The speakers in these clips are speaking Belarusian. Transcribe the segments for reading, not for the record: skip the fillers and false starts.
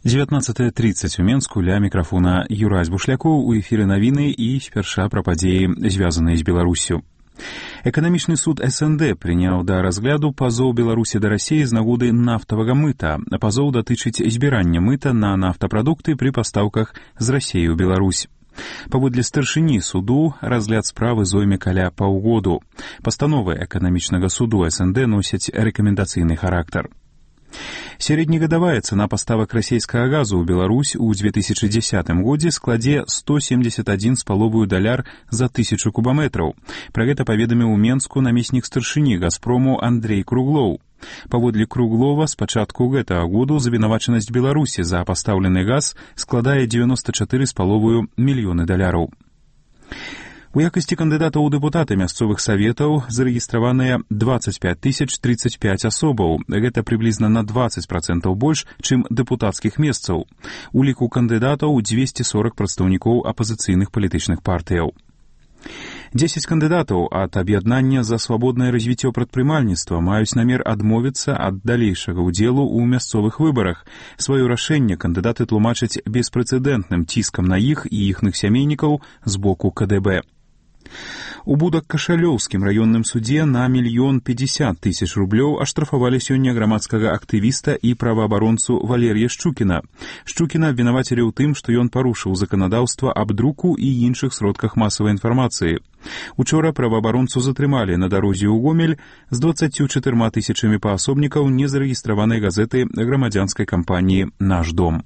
19:30 у Менску, ля мікрафона Юрась Бушлякоў, у эфіры навіны і спярша пра падзеі, звязаныя з Беларуссю. Эканамічны суд СНД прыняў да разгляду пазоў Беларусі да Расіі з нагоды нафтавага мыта. Пазоў датычыць збірання мыта на нафтапрадукты пры пастаўках з Расіі ў Беларусь. Паводле старшыні суду разгляд справы зойме каля паўгоду. Пастановы эканамічнага суду СНД носяць рэкамендацыйны характар. Сярэднегадавая цана паставак расійскага газу ў Беларусь у 2010 годзе складзе $171,5 за 1000 кубаметраў. Пра гэта паведаміў у Менску намеснік старшыні Газпрому Андрей Круглоў. Паводле Круглова, з пачатку гэтага году завінавачанасць Беларусі за пастаўлены газ складае $94,5 мільёны. У якасці кандыдатаў у дэпутаты мясцовых саветаў зарэгістраваныя 25 035 асобаў. Гэта прыблізна на 20% больш, чым дэпутацкіх месцаў. У ліку кандыдатаў 240 прадстаўнікоў апазіцыйных палітычных партыяў. 10 кандыдатаў ад аб'яднання за свабоднае развіццё прадпрымальніцтва маюць намер адмовіцца ад далейшага ўдзелу ў мясцовых выбарах. Сваё рашэнне кандыдаты тлумачаць беспрэцэдэнтным ціскам на іх і іхных сямейнікаў з боку КДБ. У Будак-Кашалёўскім раённым судзе на $1,050,000 аштрафавалі сёння грамадскага актывіста і праваабаронцу Валерія Шчукіна. Шчукіна абвінавацілі ў тым, што ён парушыў заканадаўства аб друку і іншых сродках масавай інфармацыі. Учора праваабаронцу затрымалі на дарозе ў Гомель з 24 000 паасобнікаў незарэгістраванай газеты грамадзянскай кампаніі «Наш дом».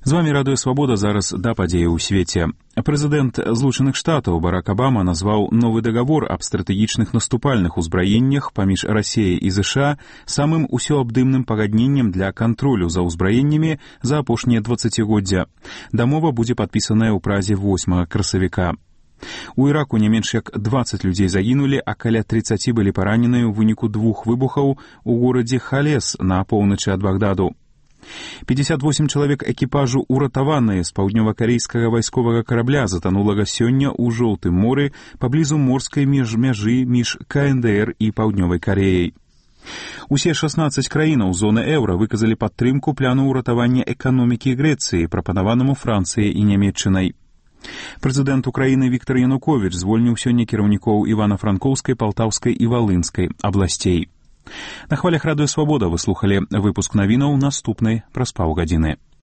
З вамі Радыё Свабода, зараз да падзеі ў свеце. Прэзідэнт Злучаных Штатаў Барак Абама назваў новы дагавор аб стратэгічных наступальных узбраеннях паміж Расіяй і ЗША самым усеабдымным пагадненнем для кантролю за ўзбраеннямі за апошнія 20годдзя. Дамова будзе падпісаная ў празе 8 красавіка. У Іраку не менш як 20 людзей загінулі, а каля 30 былі параненыя ў выніку 2 выбухаў у горадзе Халес на поўначы ад Багдаду. 58 чалавек экіпажу уратаваныя з паўднёва-карейскага вайсковага карабля затанулага сёння ў Жоўтым моры паблізу морскай мяжы між КНДР і Паўднёвай Кареяй. Усе 16 краінаў зоны еўра выказалі падтрымку плану ўратавання эканомікі Грэцыі, прапанаванаму Францыяй і Нямецчынай. Прэзідэнт Украіны Віктар Януковіч звольніў сёння кіраўнікоў Івана-Франкоўскай, Палтаўскай і Валынскай абласцей. На хвалях Радыё Свабода вы слухалі выпуск навінаў, наступны праз паўгадзіны.